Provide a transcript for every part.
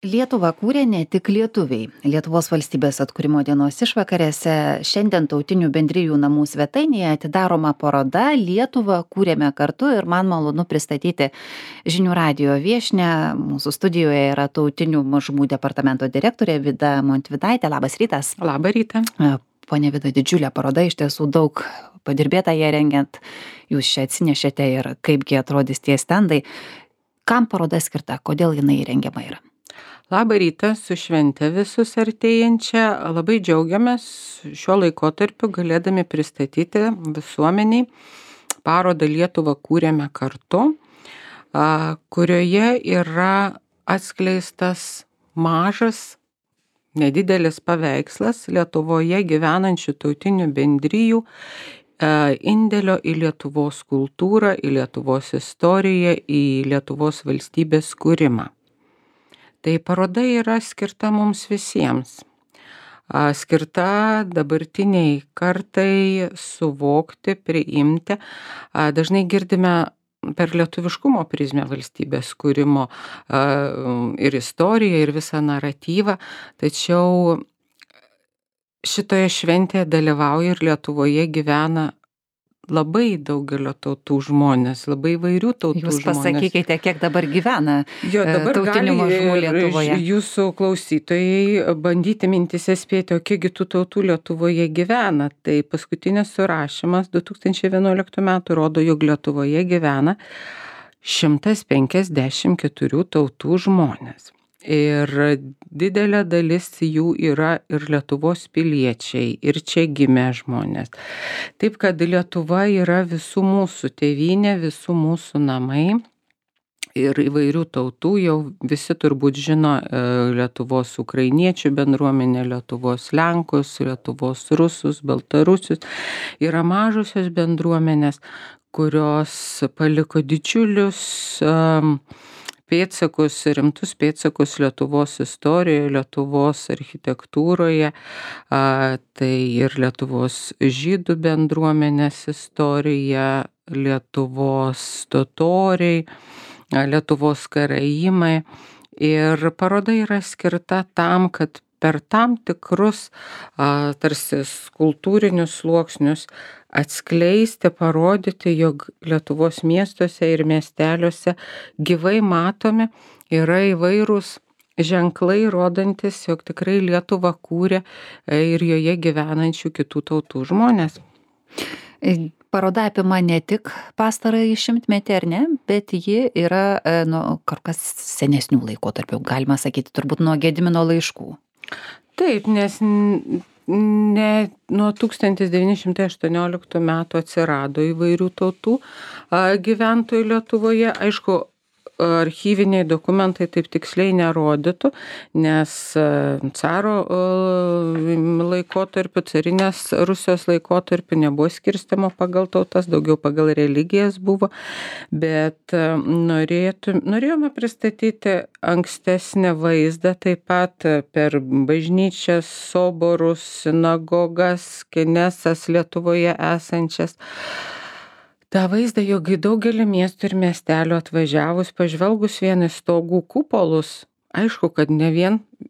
Lietuvą kūrė ne tik lietuviai. Lietuvos valstybės atkūrimo dienos išvakarėse šiandien tautinių bendrijų namų svetainėje atidaroma paroda Lietuvą kūrėme kartu ir man malonu pristatyti žinių radijo viešnią. Mūsų studijoje yra tautinių mažumų departamento direktorė Vida Montvydaitė. Labas rytas. Labą rytą. Pone Vida, didžiulė paroda, iš tiesų daug padirbėta ją rengiant. Jūs čia atsinešėte ir kaipgi atrodys tie stendai. Kam paroda skirta? Kodėl jinai rengiama yra? Labą rytą, su švente visus artėjančią. Labai džiaugiamės šiuo laikotarpiu galėdami pristatyti visuomeniai parodą Lietuvą kūrėme kartu, kurioje yra atskleistas mažas, nedidelis paveikslas Lietuvoje gyvenančių tautinių bendrijų indėlio į Lietuvos kultūrą, į Lietuvos istoriją, į Lietuvos valstybės kūrimą. Tai paroda yra skirta mums visiems. Skirta dabartiniai kartai suvokti, priimti. Dažnai girdime per lietuviškumo prizmę valstybės kūrimo ir istoriją, ir visą naratyvą. Tačiau šitoje šventėje dalyvauja ir Lietuvoje gyvena labai daugelio tautų žmonės, labai įvairių tautų žmonės. Jūs pasakykite, kiek dabar gyvena dabar tautinių mažumų Lietuvoje. Jūsų klausytojai bandyti mintise spėti, o kiekgi tų tautų Lietuvoje gyvena. Tai paskutinis surašymas 2011 metų rodo, jog Lietuvoje gyvena 154 tautų žmonės. Ir didelė dalis jų yra ir Lietuvos piliečiai, ir čia gimę žmonės. Taip, kad Lietuva yra visų mūsų tėvynė, visų mūsų namai. Ir įvairių tautų, jau visi turbūt žino Lietuvos ukrainiečių bendruomenę, Lietuvos lenkus, Lietuvos rusus, baltarusius. Yra mažosios bendruomenės, kurios paliko didžiulius pėdsakus, rimtus pėdsakus Lietuvos istorijoje, Lietuvos architektūroje, tai ir Lietuvos žydų bendruomenės istorija, Lietuvos totoriai, Lietuvos karaimai. Ir paroda yra skirta tam, kad per tam tikrus tarsi kultūrinius sluoksnius atskleisti, parodyti, jog Lietuvos miestuose ir miesteliuose gyvai matomi yra įvairūs ženklai, rodantis, jog tikrai Lietuvą kūrė ir joje gyvenančių kitų tautų žmonės. Paroda apima ne tik pastarąjį šimtmetį, ar ne, bet ji yra kur kas senesnių laikotarpių, galima sakyti, turbūt nuo Gedimino laiškų. Taip, nes ne nuo 1918 metų atsirado įvairių tautų gyventojų Lietuvoje. Aišku, archyviniai dokumentai taip tiksliai nerodytų, nes caro laikotarpiu, carinės Rusijos laikotarpiu nebuvo skirstymo pagal tautas, daugiau pagal religijas buvo, bet norėjome pristatyti ankstesnį vaizdą, taip pat per bažnyčias, soborus, sinagogas, kenesas Lietuvoje esančias. Ta vaizdą, jog į daugelį miestų ir miestelių atvažiavus, pažvelgus vien į stogų kupolus, aišku, kad ne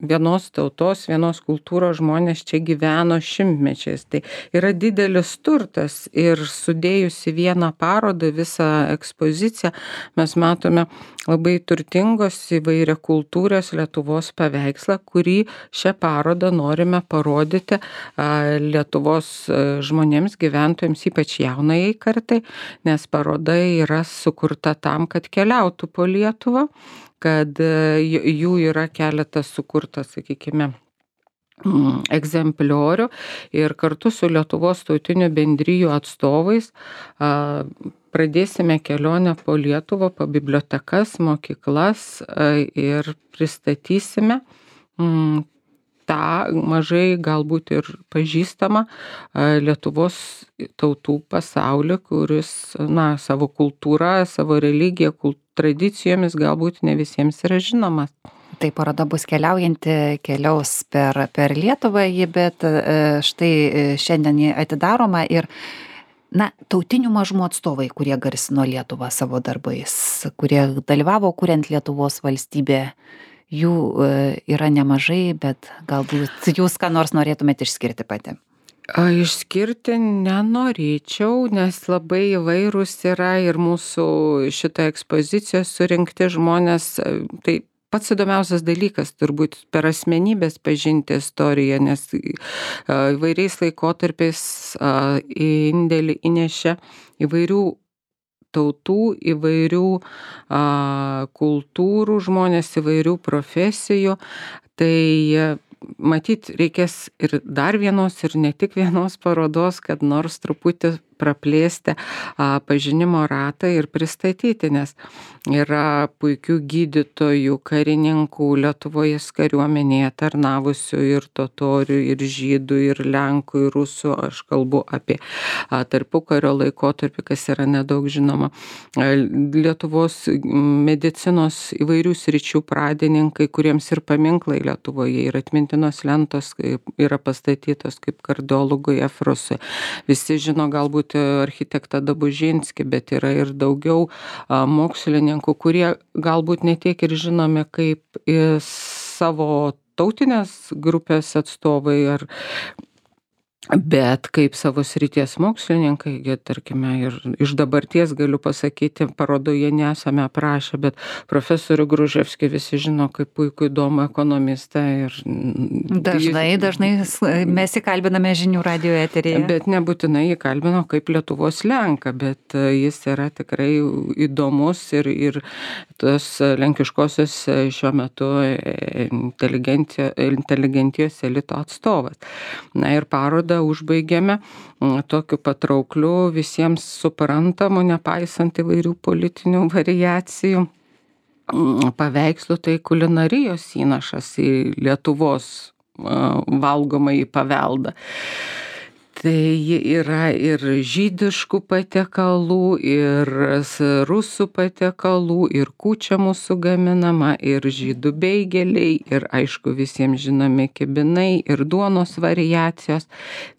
vienos tautos, vienos kultūros žmonės čia gyveno šimtmečiais. Tai yra didelis turtas ir sudėjus į vieną parodą, visą ekspoziciją, mes matome labai turtingos įvairiakultūrės Lietuvos paveikslą, kurį šią parodą norime parodyti Lietuvos žmonėms, gyventojams, ypač jaunajai kartai, nes paroda yra sukurta tam, kad keliautų po Lietuvą, kad jų yra keletas sukurtas, sakykime, egzempliorių ir kartu su Lietuvos tautinių bendrijų atstovais pradėsime kelionę po Lietuvą, po bibliotekas, mokyklas ir pristatysime tą mažai galbūt ir pažįstamą Lietuvos tautų pasaulį, kuris savo kultūrą, savo religiją, tradicijomis galbūt ne visiems yra žinomas. Tai paroda bus keliaujanti, keliaus per Lietuvą, bet štai šiandien jį atidaroma ir tautinių mažumų atstovai, kurie garsino Lietuvą savo darbais, kurie dalyvavo kuriant Lietuvos valstybę, Jų yra nemažai, bet galbūt jūs ką nors norėtumėt išskirti pati. Išskirti nenorėčiau, nes labai įvairūs yra ir mūsų šitą ekspoziciją surinkti žmonės. Tai pats įdomiausias dalykas turbūt per asmenybės pažinti istoriją, nes įvairiais laikotarpiais indėlį įnešė įvairių tautų, įvairių kultūrų žmonės, įvairių profesijų. Tai matyt, reikės ir dar vienos, ir ne tik vienos parodos, kad nors truputį praplėsti pažinimo ratą ir pristatyti, nes yra puikių gydytojų, karininkų, Lietuvos kariuomenėje tarnavusių ir totorių, ir žydų, ir lenkų, ir rusų. Aš kalbu apie tarpukario laikotarpį, kas yra nedaug žinoma. Lietuvos medicinos įvairių sričių pradininkai, kuriems ir paminklai Lietuvoje, ir atmintinos lentos yra pastatytos kaip kardiologui Efrosui. Visi žino galbūt architektą Dabužinskį, bet yra ir daugiau mokslininkų, kurie galbūt ne tiek ir žinomi kaip savo tautinės grupės atstovai, bet kaip savo srities mokslininkai, tarkime, ir iš dabarties galiu pasakyti, parodoje nesame aprašę, bet profesorių Gruževskį visi žino kaip puikų įdomų ekonomistą. Dažnai mes įkalbiname žinių radijo eteryje. Bet nebūtinai įkalbino kaip Lietuvos lenką, bet jis yra tikrai įdomus ir tos lenkiškosios šiuo metu inteligentijos elito atstovas. Na ir parodą užbaigėme tokiu patraukliu, visiems suprantamu, nepaisant įvairių politinių variacijų paveikslų, tai kulinarijos įnašas į Lietuvos valgomąjį paveldą. Tai yra ir žydiškų patiekalų, ir rusų patiekalų, ir kūčia mūsų gaminama, ir žydų beigeliai, ir aišku visiems žinomi kibinai, ir duonos variacijos.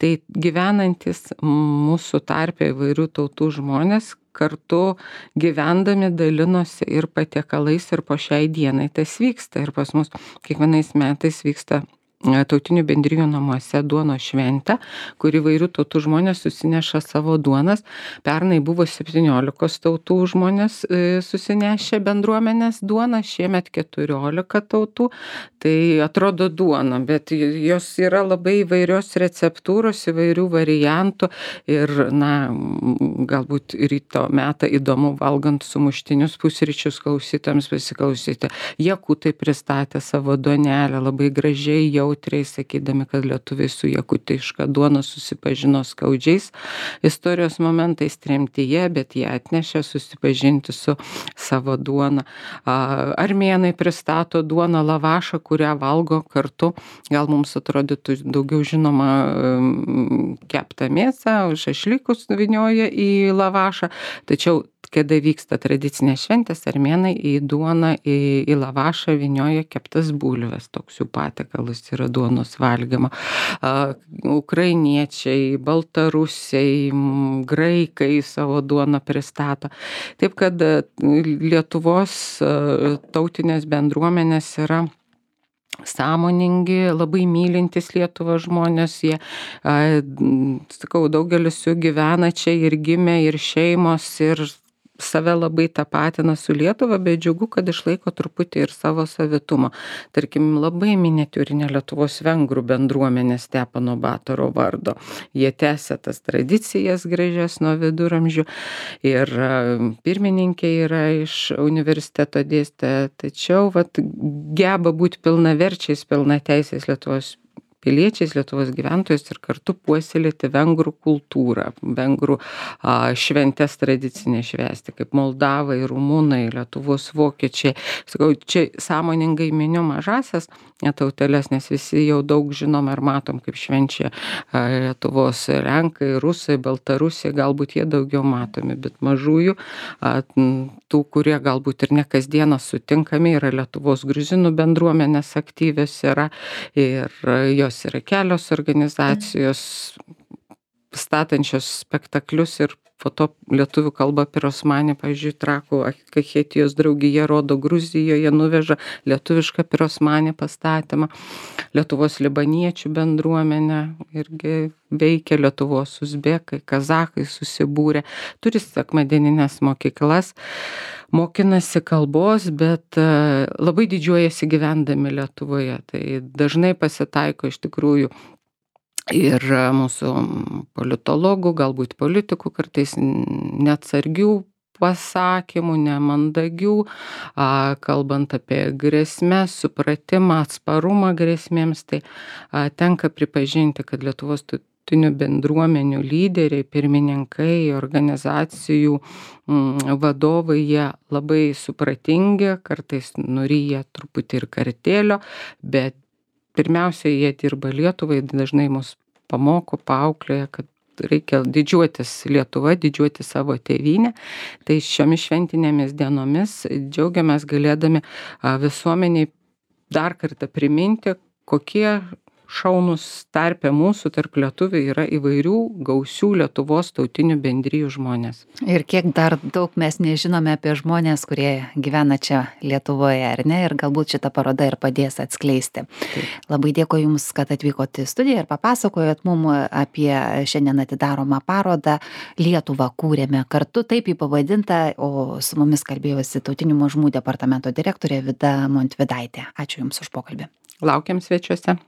Tai gyvenantis mūsų tarpe įvairių tautų žmonės kartu gyvendami dalinosi ir patiekalais, ir po šiai dienai tas vyksta. Ir pas mus kiekvienais metais vyksta tautinių bendrijų namuose duonos šventę, kur įvairių tautų žmonės susineša savo duonas. Pernai buvo 17 tautų žmonės susinešę bendruomenės duoną, šiemet 14 tautų. Tai atrodo duona, bet jos yra labai įvairios receptūros, įvairių variantų ir, galbūt ryto metą įdomu valgant sumuštinius pusryčius klausytams pasiklausyti. Jakutai pristatė savo duonelę labai gražiai, jautriai, sakydami, kad lietuviai su jakutiška duona susipažino skaudžiais istorijos momentais tremtyje, bet jie atnešė susipažinti su savo duona. Armėnai pristato duoną lavašą, kurią valgo kartu. Gal mums atrodytų daugiau žinoma keptą mėsą, šašlykus vynioja į lavašą, tačiau kada vyksta tradicinės šventės, armėnai į duoną, į lavašą vynioja keptas bulves, toks jų patiekalas yra duonos valgymo. Ukrainiečiai, baltarusiai, graikai savo duoną pristato. Taip kad Lietuvos tautinės bendruomenės yra sąmoningi, labai mylintys Lietuvą žmonės, jie, daugelis jų gyvena čia ir gimė, ir šeimos, ir save labai tapatina su Lietuva, bet džiugu, kad išlaiko truputį ir savo savitumo. Tarkim, labai miniatiūrinė Lietuvos vengrų bendruomenė Stepano Batoro vardo. Jie tęsia tas tradicijas gražias nuo viduramžių ir pirmininkė yra iš universiteto dėstė, tačiau geba būti pilnaverčiais, pilnateisiais Lietuvos piliečiais, Lietuvos gyventojais ir kartu puoselėti vengrų kultūrą, vengrų šventes tradicinę švęsti, kaip moldavai, rumunai, Lietuvos vokiečiai. Sakau, čia sąmoningai miniu mažasias tauteles, nes visi jau daug žinom ir matom, kaip švenčia Lietuvos lenkai, rusai, baltarusiai, galbūt jie daugiau matomi, bet mažųjų, tų, kurie galbūt ir ne kasdieną sutinkami, yra Lietuvos gruzinų bendruomenės aktyvios yra ir jos yra kelios organizacijos statančios spektaklius ir po to lietuvių kalba pirosmanė, pavyzdžiui, Trakų Kachetijos draugija rodo Gruzijoje, nuveža lietuvišką pirosmanę pastatymą. Lietuvos libaniečių bendruomenė irgi veikia, Lietuvos uzbekai, kazachai susibūrė, turi sekmadieninės mokyklas, mokinasi kalbos, bet labai didžiuojasi gyvendami Lietuvoje. Tai dažnai pasitaiko iš tikrųjų ir mūsų politologų, galbūt politikų kartais neatsargių pasakymų, nemandagių, kalbant apie grėsmės, supratimą, atsparumą grėsmėms, tai tenka pripažinti, kad Lietuvos tautinių bendruomenių lyderiai, pirmininkai, organizacijų vadovai, jie labai supratingi, kartais nuryja truputį ir kartėlio, bet pirmiausia, jie dirba Lietuvai, dažnai mus pamoko, paauklėja, kad reikia didžiuotis Lietuva, didžiuotis savo tėvynę. Tai šiomis šventinėmis dienomis džiaugiamės galėdami visuomeniai dar kartą priminti, kokie šaunūs tarpe mūsų tarp lietuvių yra įvairių gausių Lietuvos tautinių bendrijų žmonės. Ir kiek dar daug mes nežinome apie žmonės, kurie gyvena čia Lietuvoje, ar ne? Ir galbūt šita paroda ir padės atskleisti. Taip. Labai dėkoju Jums, kad atvykote į studiją ir papasakojot mums apie šiandien atidaromą parodą Lietuvą kūrėme kartu, taip jį pavadinta, o su mumis kalbėjosi Tautinių mažumų departamento direktorė Vida Montvydaitė. Ačiū Jums už pokalbį. Laukiam svečiuose.